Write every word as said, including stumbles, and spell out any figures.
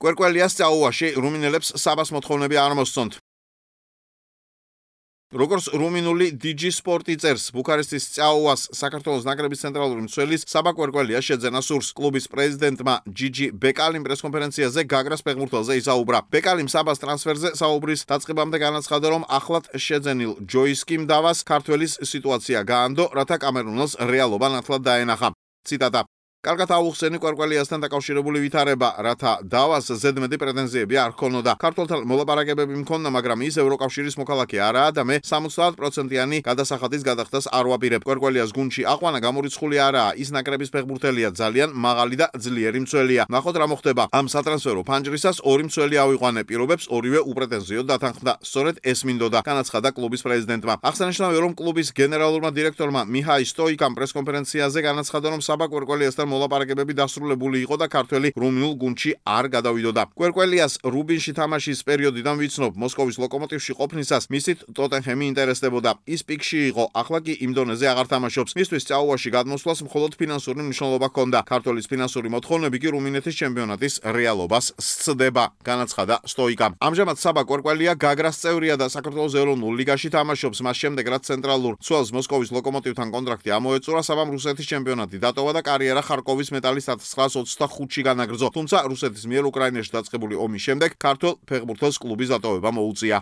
კვერკველიას წაუვაში რუმინელებს საბას მოთხოვნები არ მოსწონთ. როგორც რუმინული დიჯი სპორტი წერს, ბუქარესტის წაუვას საქართველოს ნაკრების ცენტრალური მცველის საბა კვერკველია შეძენა სურს. კლუბის პრეზიდენტმა ჯიჯი ბეკალიმ პრესკონფერენციაზე გაგრას ფეხბურთელზე ისაუბრა. ბეკალიმ საბას ტრანსფერზე საუბრის დაწყებამდე განაცხადა, რომ ახლად შეძენილ ჯოისკიმ დავას ქართველის სიტუაცია გაანდო, რათა კამერუნელს რეალობა ნათლად დაენახა. ციტატა: კარგად აუხსენი კვერკველიასთან დაკავშირებული ვითარება, რათა დავას ზედმეტი პრეტენზიები არ ჰქონოდა. ქართველთან მოლაპარაკებები მქონდა, მაგრამ ის ევროკავშირის მოქალაქე არაა და მე სამოცდაათ პროცენტიანი გადასახადის გადახდას არ ვაპირებ. კვერკველიას გუნდში აყვანა გამორიცხული არაა, ის ნაკრების ფეხბურთელია, ძალიან მაღალი და ძლიერი მცველია. ნახოთ რა მოხდება. ამ სატრანსფერო ფანჯრისას ორი მცველი ავიყვანე, პირობებს ორივე უპრეტენზიოდ დათანხმდა. სწორედ ეს მინდოდა, განაცხადა კლუბის პრეზიდენტმა. აღსანიშნავია, რომ კლუბის გენერალურმა დირექტორმა მიჰაი სტოიკამ პრესკონფერენციაზე განაცხადა, რომ საბა კვერკველიასთან მოლაპარაკებები დასრულებული იყო და ქართველი რუმინულ გუნდში არ გადავიდოდა. კვერკველიას რუბინში თამაშის პერიოდიდან ვიცნობ, მოსკოვის ლოკომოტივში ყოფნისას მისით ტოტენჰემი ინტერესდებოდა. ის პიკში იყო, ახლა კი იმ დონეზე აღარ თამაშობს. მისთვის წაუვაში გადმოსვლას მხოლოდ ფინანსური მნიშვნელობა ჰქონდა. ქართველის ფინანსური მოთხოვნები კი რუმინეთის ჩემპიონატის რეალობას სცდება, განაცხადა სტოიკამ. ამჟამად საბა კვერკველია გაგრას წევრია და საქართველოს ეროვნულ ლიგაში თამაშობს. მას შემდეგ, რაც ცენტრალურ მცველს მოსკოვის ლოკომოტივთან კონტრაქტი ამოეწურა, საბამ რუსეთის ჩემპიონატი დატოვა და კარიერა ხარკოვის მეტალის ათასცხრაას ოცდახუთში განაგრძო. თუმცა რუსეთის მიერ უკრაინაში დაწყებული ომის შემდეგ ქართველ ფეხბურთელს კლუბის დატოვება მოუწია.